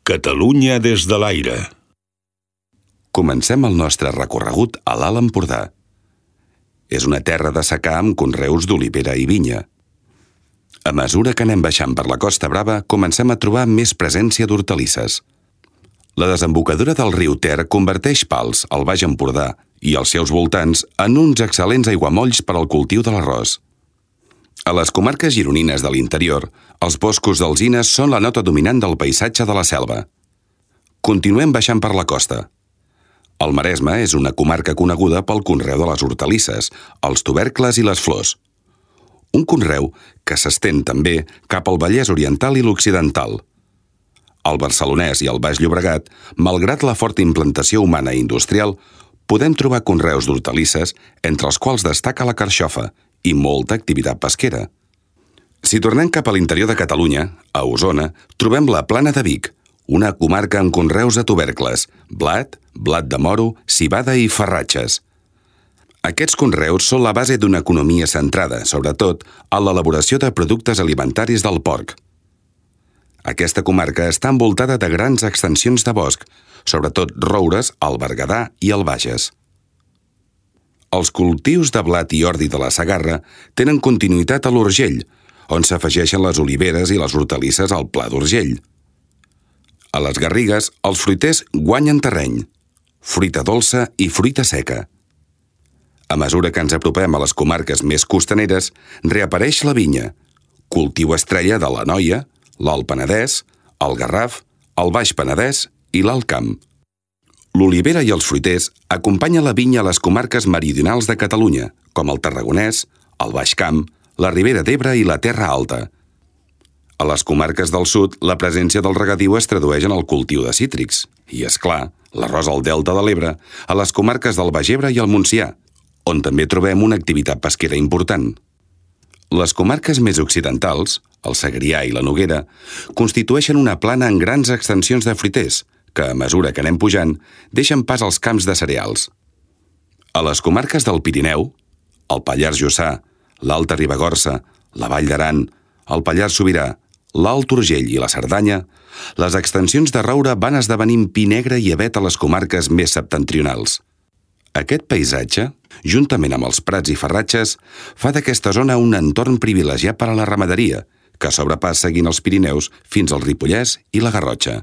Catalunya des de l'aire. Comencem el nostre recorregut a l'Alt Empordà. És una terra de secà amb conreus d'olivera i vinya. A mesura que anem baixant per la Costa Brava, comencem a trobar més presència d'hortalisses. La desembocadura del riu Ter converteix Pals, al Baix Empordà, i els seus voltants en uns excel·lents aiguamolls per al cultiu de l'arròs. A les comarques gironines de l'interior, els boscos d'alzines són la nota dominant del paisatge de la selva. Continuem baixant per la costa. El Maresme és una comarca coneguda pel conreu de les hortalisses, els tubercles i les flors. Un conreu que s'estén també cap al Vallès Oriental i l'Occidental. Al Barcelonès i al Baix Llobregat, malgrat la forta implantació humana i industrial, podem trobar conreus d'hortalisses, entre els quals destaca la carxofa i molta activitat pesquera. Si tornem cap a l'interior de Catalunya, a Osona, trobem la Plana de Vic, una comarca amb conreus de tubercles, blat de moro, civada i farratges. Aquests conreus són la base d'una economia centrada, sobretot, en l'elaboració de productes alimentaris del porc. Aquesta comarca està envoltada de grans extensions de bosc, sobretot roures al Berguedà i al Bages. Els cultius de blat i ordi de la Segarra tenen continuïtat a l'Urgell, on s'afegeixen les oliveres i les hortalisses al Pla d'Urgell. A les Garrigues, els fruiters guanyen terreny, fruita dolça i fruita seca. A mesura que ens apropem a les comarques més costaneres, reapareix la vinya, cultiu estrella de l'Anoia, l'Alt Penedès, el Garraf, el Baix Penedès i l'Alt Camp. L'olivera i els fruiters acompanyen la vinya a les comarques meridionals de Catalunya, com el Tarragonès, el Baix Camp, la Ribera d'Ebre i la Terra Alta. A les comarques del sud, la presència del regadiu es tradueix en el cultiu de cítrics. I, és clar, l'arròs al Delta de l'Ebre, a les comarques del Baix Ebre i el Montsià, on també trobem una activitat pesquera important. Les comarques més occidentals, el Segrià i la Noguera, constitueixen una plana en grans extensions de fruiters, que, a mesura que anem pujant, deixen pas als camps de cereals. A les comarques del Pirineu, el Pallars Jussà, l'Alta Ribagorça, la Vall d'Aran, el Pallars Sobirà, l'Alt Urgell i la Cerdanya, les extensions de roure van esdevenint pi negre i avet a les comarques més septentrionals. Aquest paisatge, juntament amb els prats i farratges, fa d'aquesta zona un entorn privilegiat per a la ramaderia, que sobrepassa seguint els Pirineus fins al Ripollès i la Garrotxa.